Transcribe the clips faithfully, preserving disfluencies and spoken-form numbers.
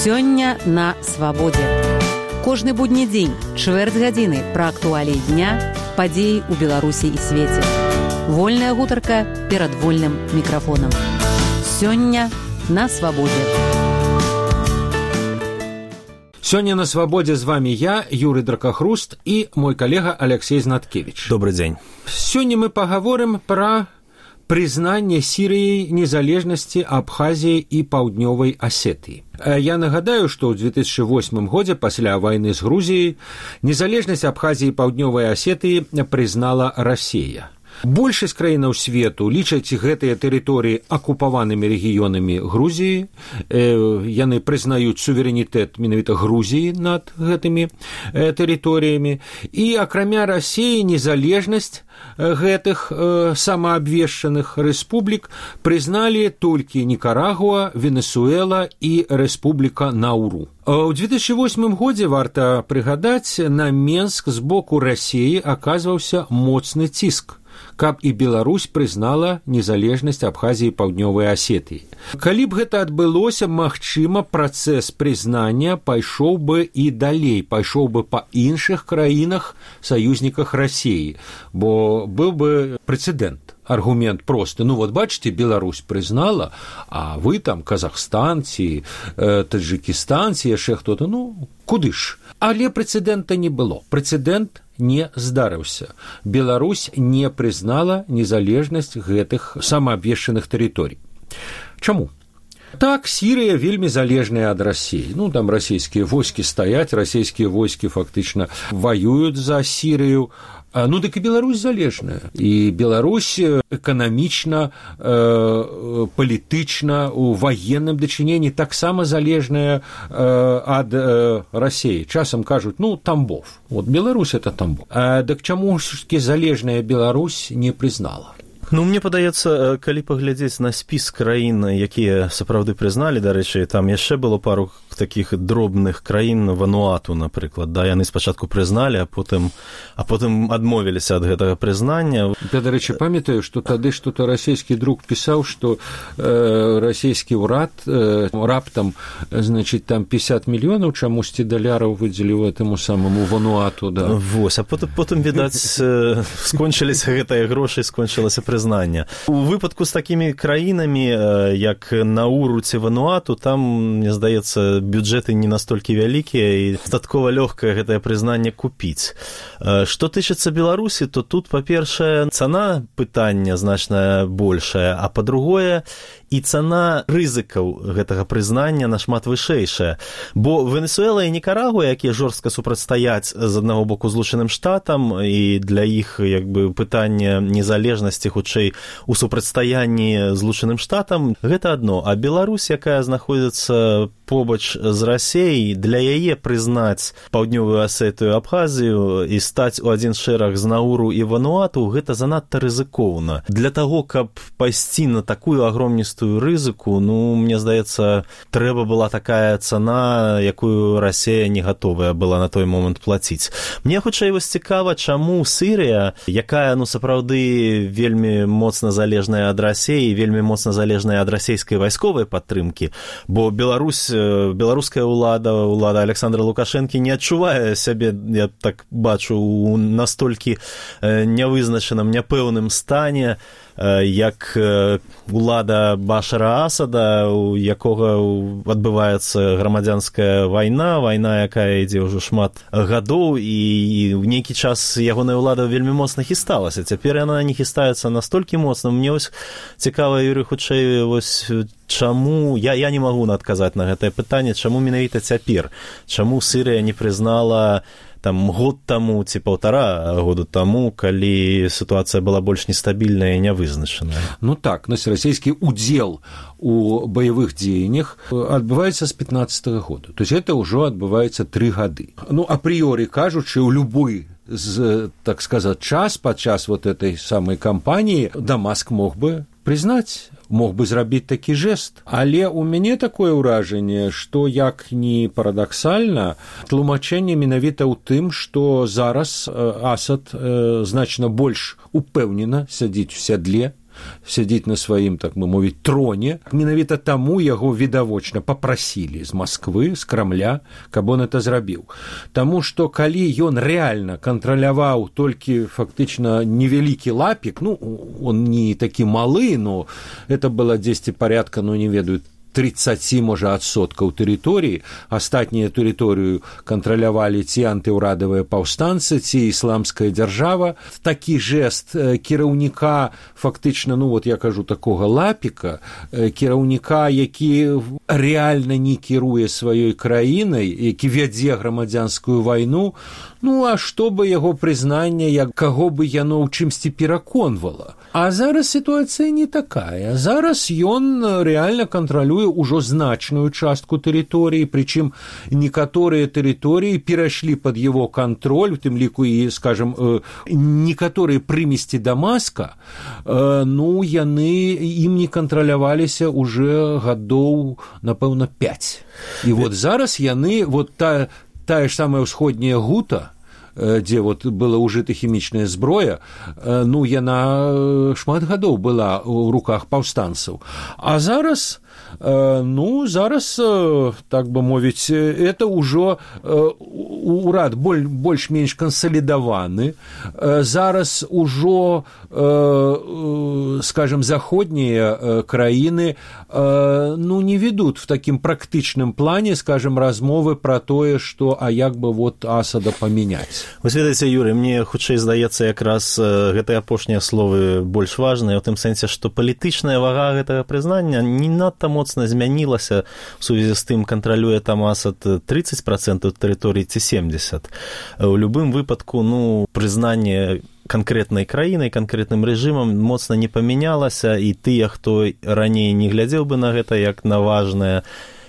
Сёння на свабодзе. Кожны будні дзень, чвэрць гадзіны пра актуаліі дня, падзеі ў Беларусі і свеце. Вольная гутарка перад вольным мікрафонам. Сёння на свабодзе. Сёння на свабодзе з вами я, Юрий Дракахруст, і мой калега Алексей Знаткевич. Добрый дзень. Сёння мы пагаворым пра прызнанне Сірыяй незалежнасці Абхазіі і Паўднёвай Асетыі. Я нагадаю, што ў две тысячы восьмым годзе пасля вайны з Грузіяй незалежнасць Абхазіі і Паўднёвай Асетыі прызнала Расія. Большасць краінаў свету лічаць гэтыя тэрыторыі акупаванымі рэгіёнамі Грузіі. Яны прызнаюць суверэнітэт менавіта Грузіі над гэтымі тэрыторыямі. І акрамя Расіі незалежнасць гэтых самаабвешчаных рэспублік прызналі толькі Нікарагуа, Венесуэла і Рэспубліка Науру. У две тысячи восьмым годзе, варта прыгадаць, на Менск з боку Расіі аказваўся моцны ціск, каб і Беларусь прызнала незалежнасць Абхазіі і Паўднёвай Асетыі. Калі б гэта адбылося, магчыма, працэс прызнання пайшоў бы і далей, пайшоў бы па іншых краінах, саюзніках Расіі, бо быў бы прэцэдэнт. Аргумент просты. Ну вот бачите, Беларусь прызнала, а вы там Казахстан ці э, Таджикистан ці яшчэ хто-то, ну куды ж? Але прэцэдэнта не было. Прэцэдэнт не здарыўся. Беларусь не прызнала незалежнасць гэтых самаабвешчаных тэрыторый. Чаму? Так, Сірыя вельмі залежная ад Расіі. Ну, там расійскія войскі стаяць, расійскія войскі фактычна ваююць за Сірыю. Ну, дык і Беларусь залежная. І Беларусь эканамічна, э, палітычна, у ваенным дачыненні таксама залежная э, ад э, Расіі. Часам кажуць, ну, Тамбов. Вот Беларусь – это Тамбов. А дык чаму ж-таки залежная Беларусь не прызнала? Ну, мне падаецца, калі паглядзець на спіс краін, якія сапраўды прызналі, дарэчы, там яшчэ было пару такіх дробных краін, Вануату, напрыклад, да, яны спачатку прызналі, а потым, а потым адмовіліся ад гэтага прызнання. Я, дарэчы, памятаю, што тады што-то расійскі друг пісаў, што э, расійскі ўрад э, раптам, значит, там пятьдесят мільёнаў чамусьці даляраў выдзеліў этаму самому Вануату, да. Вось, а потым, потым відаць, скончыліся гэтыя грошы, скончылася прызнання. У выпадку з такімі краінамі, як Науру ці Вануату, там, мне здаецца, бюджэты не настолькі вялікія і дастаткова лёгкае гэтае прызнанне купіць. Што тычыцца Беларусі, то тут, па-першае, цана пытання значна большая, а па-другое, і цана рызыкаў гэтага прызнання нашмат вышэйшая. Бо Венесуэла і Нікарагуа, якія жорстка супрацьстаяць з аднаго боку Злучаным Штатам, і для іх як бы пытанне незалежнасці хутчэй у супрацьстаянні Злучаным Штатам, гэта адно. А Беларусь, якая знаходзіцца побач з Расіяй, для яе прызнаць Паўднёвую Асетыю, Абхазію і стаць у адзін шэраг з Науру і Вануату, гэта занадта рызыкоўна. Для таго, каб пайсці на такую агромністую рызыку, ну, мне здаецца, трэба была такая цана, якую Расія не гатовая была на той момант плаціць. Мне хутчэй вось цікава, чаму Сірыя, якая, ну, сапраўды вельмі моцна залежная ад Расіі, вельмі моцна залежная ад расійскай вайсковай падтрымкі, бо Беларусь, беларуская ўлада, ўлада Александра Лукашэнкі не адчувае сябе, я так бачу, у настолькі нявызначаным, няпэўным стане, як улада Башара Асада, у якога адбываецца грамадзянская вайна, вайна, якая ідзе ўжо шмат гадоў, і ў нейкі час ягоная ўлада вельмі моцна хісталася. Цяпер яна не хістаецца настолькі моцна. Мне вось цікава, Юрый, хутчэй, вось чаму, я, я не магу адказаць на гэтае пытанне, чаму менавіта цяпер? Чаму Сірыя не прызнала там год таму ці паўтара году таму, калі сітуацыя была больш нестабільная і нявызначаная? Ну так, нас расійскі удзел у баявых дзеяннях адбываецца з пятнадцатага года. То есть это ўжо адбываецца тры гады. Ну, апрыёры кажучы, у любой з, так сказаць, час, падчас вот этой самой кампаніі Дамаск мог бы прызнаць, мог бы зрабіць такі жэст. Але ў мяне такое ўражанне, што, як ні парадаксальна, тлумачэнне менавіта ў тым, што зараз Асад значна больш упэўнена сядзіць у сядле, сядзіць на сваім, так бы мовіць, троне. Менавіта таму яго відавочна папрасілі з Масквы, з Крамля, каб он это зрабіў. Таму што калі ён рэальна кантраляваў толькі фактычна невялікі лапік, ну, он не такі малы, но это было дзесьці парядка, ну, не ведаю, тридцать, можа, адсоткаў тэрыторыі, астатнія тэрыторыю кантралявалі ці антыўрадавыя паўстанцы, ці ісламская дзяржава. Такі жэст кіраўніка, фактычна, ну, вот я кажу, такога лапіка, кіраўніка, які рэальна не кіруе сваёй краінай, які вядзе грамадзянскую вайну, ну, а што бы яго прызнанне, як каго бы яно ў чымсьці пераконвала. А зараз сітуацыя не такая. Зараз ён рэальна кантралюе ўжо значную частку тэрыторыі, прычым некаторыя тэрыторыі перайшлі пад яго кантроль, у тым ліку і, скажем, некаторыя прымесці Дамаска, ну, яны ім не кантраляваліся уже гадоў, напэўна, пяць. І вот зараз яны, вот та, тая ж самая ўсходняя Гута, дзе вот была ўжыта хімічная зброя, ну, яна шмат гадоў была ў руках паўстанцаў. А зараз, ну, зараз, так бы мовіць, это ўжо урад больш-менш кансалідаваны. Зараз ужо, скажем, заходнія краіны, ну, не ведут в такім практычным плане, скажем, размовы пра тое, што, а як бы вот Асада памяняць. Вы ведаеце, Юрый, мне хутчэй здаецца якраз гэтыя апошнія словы больш важныя, у тым сэнсе, што палітычная вага гэтага прызнання не надта моцна змянілася у сувязі з тым, кантралюе там Асад тридцать процентов тэрыторыі ці семьдесят процентов. У любым выпадку, ну, прызнанне канкрэтнай краінай, канкрэтным рэжымам моцна не памянялася, і тыя, хто раней не глядзеў бы на гэта як на важнае,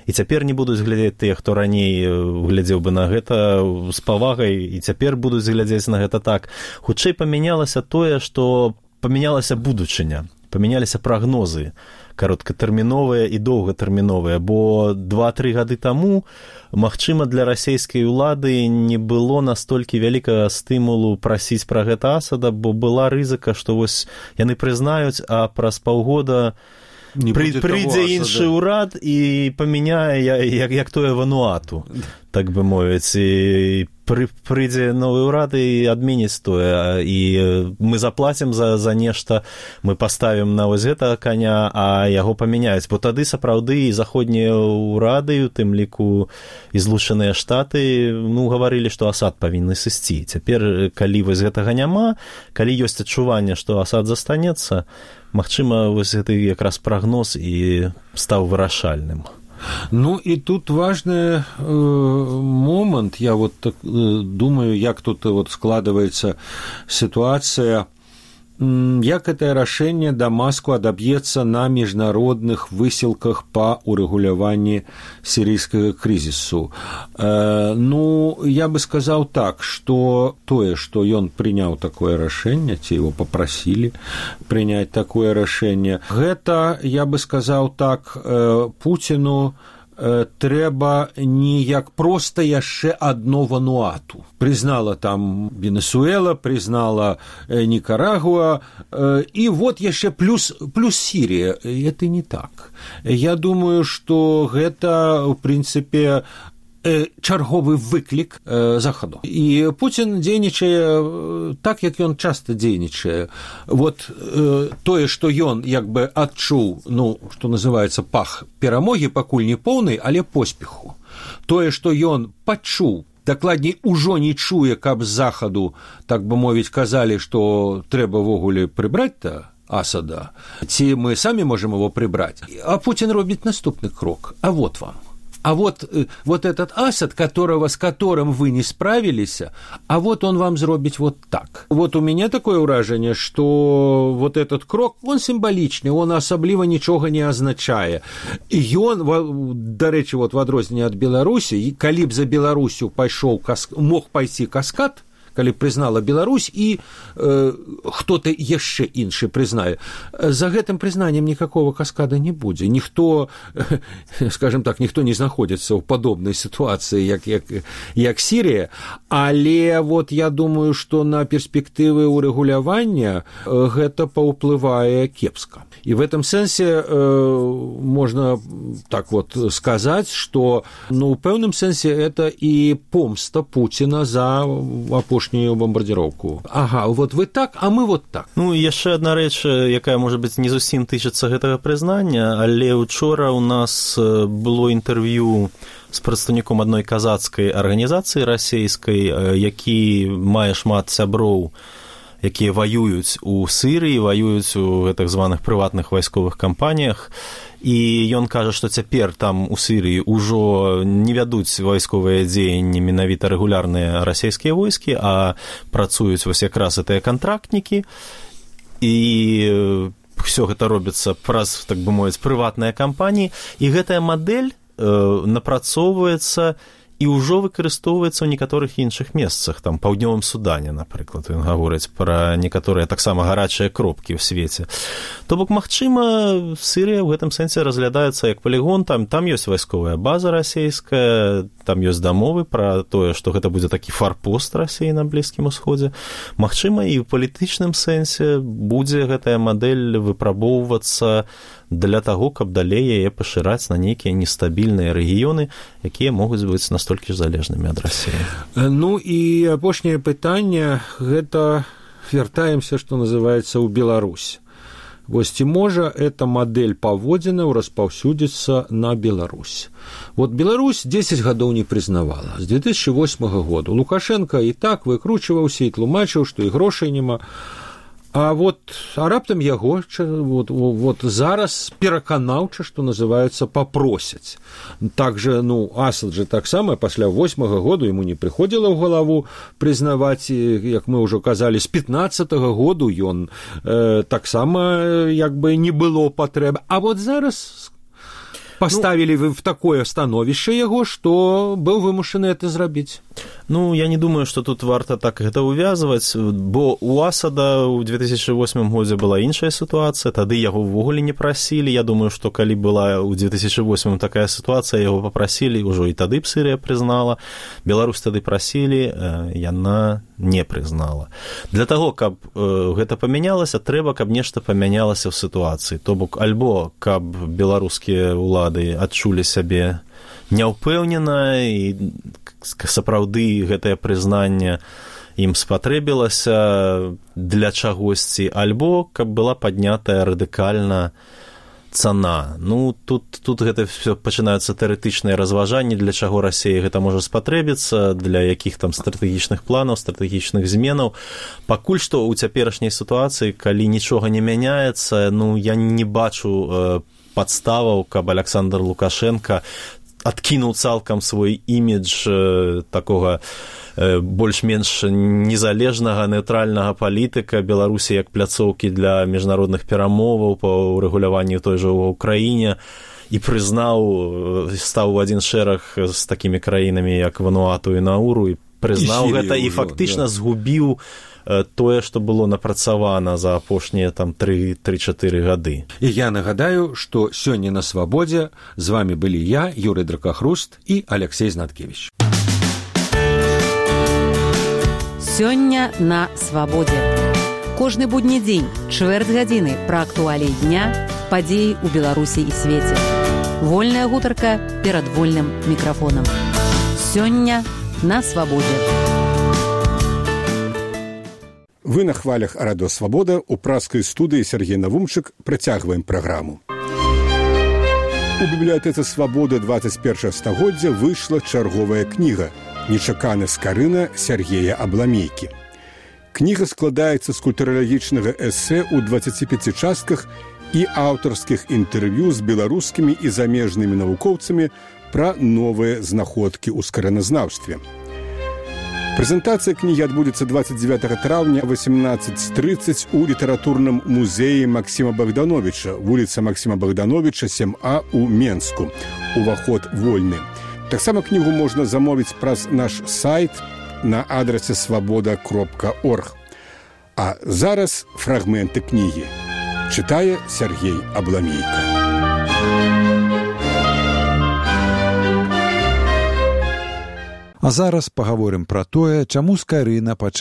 і цяпер не будуць глядзець тыя, хто раней глядзеў бы на гэта з павагай, і цяпер будуць глядзець на гэта так. Хутчэй памянялася тое, што памянялася будучыня, памяняліся прагнозы кароткатэрміновыя і доўгатэрміновыя, бо два-тры гады таму, магчыма, для расійскай улады не было настолькі вялікага стымулу прасіць пра гэта Асада, бо была рызыка, што вось яны прызнаюць, а праз паўгода Пры, прыйдзе іншы ўрад і памяняе як, як тое Вануату, так бы мовіць, і пры, прыйдзе новы ўрад і адменіць тое, і мы заплацім за, за нешта, мы паставім на вось гэтага каня, а яго памяняюць, бо тады сапраўды і заходнія ўрады, у тым ліку і Злучаныя Штаты, ну, гаварылі, што Асад павінны сысці. Цяпер, калі вось гэтага няма, калі ёсць адчуванне, што Асад застанецца, магчыма, вось гэты якраз прагноз і стаў вырашальным. Ну, і тут важны э, момант, я вот так, э, думаю, як тут вот складывается ситуация, як гэтае рашэнне Дамаску адаб'ецца на міжнародных высілках па урэгуляванні сірыйскага крызісу. Э, ну, я бы сказаў так, што тое, што ён прыняў такое рашэнне, ці его папрасілі прыняць такое рашэнне, гэта, я бы сказаў так, э, Пуціну трэба не як проста яшчэ адно Вануату. Прызнала там Венесуэла, прызнала Никарагуа, і вот яшчэ плюс, плюс Сірія. Это не так. Я думаю, што гэта, в прынцыпе, чарговы выклік Захаду. І Пуцін дзейнічае так, як ён часта дзейнічае. Вот тое, што ён як бы адчуў, ну, што называецца пах перамогі, пакуль не поўнай, але поспеху. Тое, што ён пачуў, дакладней, ужо не чуе, каб з Захаду, так бы мовіць, казалі, што трэба ввогуле прыбраць-то Асада, ці мы самі можам его прыбраць. А Пуцін робіць наступны крок. А вот вам. А вот, вот этот Асад, которого, с которым вы не справились, а вот он вам зробить вот так. Вот у меня такое ўражанне, что вот этот крок, он символичный, он асабліва нічога не азначае. Ён, дарэчы, вот в адрозненне ад Беларусі, калі б за Беларусю пайшоў, мог пайсці каскад, калі прызнала Беларусь і э, хто-то яшчэ іншы прызнае. За гэтым прызнаннем никакого каскада не будзе. Ніхто, скажем так, ніхто не знаходзіцца ў падобнай сітуацыі, як, як, як Сірія, але вот я думаю, што на перспектывы урэгулявання гэта паўплывае кепска. І в этом сэнсе э, можна так вот сказаць, што ну, у пэўным сэнсе это і помста Пуціна за апошнюю бомбардзіроўку. Ага, вот вы так, а мы вот так. Ну, яшчэ адна рэч, якая, можа быць, не зусім тычыцца гэтага прызнання, але учора у нас было інтэрв'ю з прадстаўніком адной казацкай арганізацыі расейскай, які мае шмат сяброў, якія ваююць у Сірыі, ваююць у гэтых званых прыватных вайсковых кампаніях, і ён кажа, што цяпер там у Сірыі ўжо не вядуць вайсковыя дзеянні менавіта рэгулярныя расійскія войскі, а працуюць вось якраз гэтыя кантрактнікі, і ўсё гэта робіцца праз, так бы мовіць, прыватныя кампаніі, і гэтая мадэль э, напрацоўваецца і ўжо выкарыстоўваецца ў некаторых іншых месцах, там, паўднёвым Судане, напрыклад, ён гаворыць пра некаторыя таксама гарачыя кропкі ў свеце. То бок, магчыма, Сірыя ў гэтым сэнсе разглядаецца як палігон, там, там ёсць вайсковая база расейская, там ёсць дамовы пра тое, што гэта будзе такі фарпост Расіі на Блізкім Усходзе. Магчыма, і ў палітычным сэнсе будзе гэтая мадэль выпрабоўвацца для таго, каб далей яе пашыраць на нейкія нестабільныя рэгіёны, якія могуць быць настолькі ж залежнымі ад Расіі. Ну і апошняе пытанне, гэта вяртаемся, што называецца, ў Беларусь. Вось ці можа эта мадэль паводзінаў распаўсюдзіцца на Беларусь? Вот Беларусь дзесяць гадоў не прызнавала. З две тысячи восьмага году Лукашенко і так выкручваўся і тлумачыў, што і грошай няма. А вот а раптам яго вот, вот зараз пераканаўча, што называецца, папросяць. Так же, ну, Асад же таксама пасля восьмага году яму не прыходзіла ў галаву прызнаваць, як мы ўжо казалі, з пятнаццатага году ён э, таксама як бы не было патрэб. А вот зараз паставілі вы в такое становішча яго, што быў вымушаны это зрабіць. Ну, я не думаю, што тут варта так гэта ўвязваць, бо у Асада ў две тысячи восьмым годзе была іншая сітуацыя, тады яго ўвогуле не прасілі. Я думаю, што калі была ў две тысячи восьмым такая сітуацыя, яго папрасілі, ўжо і тады б Сірыя прызнала. Беларусь тады прасілі, яна не прызнала. Для таго, каб гэта памянялася, трэба, каб нешта памянялася ў сітуацыі. То бок, альбо каб беларускія ўлады адчулі сябе няўпэўнена і сапраўды гэтае прызнанне ім спатрэбілася для чагосьці, альбо каб была паднятая радыкальна цана. Ну, тут, тут гэта все пачынаюцца тэарэтычныя разважанні, для чаго Расія гэта можа спатрэбіцца, для якіх там стратэгічных планаў, стратэгічных зменаў. Пакуль што ў цяперашняй сітуацыі, калі нічога не мяняецца, ну, я не бачу э, падставаў, каб Александр Лукашенко адкінуў цалкам свой імідж э, такога э, больш-менш незалежнага, нейтральнага палітыка Беларусі як пляцоўкі для міжнародных перамоваў па урэгуляванні той жа ў Украіне і прызнаў, стаў у адзін шэраг з такімі краінамі, як Вануату і Науру, і прызнаў і гэта і фактычна да. згубіў тое, што было напрацавана за апошнія там тры-чатыры гады. І я нагадаю, што сёння на Свабодзе з вами былі я, Юрый Дракахруст і Алексей Знаткевич. Сёння на Свабодзе. Кожны будні дзень, чвэрць гадзіны пра актуаліі дня, падзеі ў Беларусі і свеце. Вольная гутарка перад вольным мікрафонам. Сёння на Свабодзе. Вы на хвалях радыё Свабода, у праскай студыі Сергей Навумчык працягваем праграму. У бібліятэцы Свабода двадцать першага стагоддзя выйшла чарговая кніга «Нечаканы скарына» Сергея Абламейкі. Кніга складаецца з культуралагічнага эсэ ў дваццаці пяці частках і аўтарскіх інтэрв'ю з беларускімі і замежнымі навукоўцамі пра новыя знаходкі ў скараназнаўстве. Прэзентацыя кнігі адбудзецца двадцать девятого траўня восемнадцать тридцать у літаратурным музеі Максіма Богдановича, вуліца Максіма Богдановича, сем А у Менску. Уваход вольны. Таксама кнігу можна замовіць праз наш сайт на адрасе свабода кропка орг. А зараз фрагменты кнігі. Чытае Сергей Абламейка. А зараз пагаворым пра тое, чаму Скайрына пачала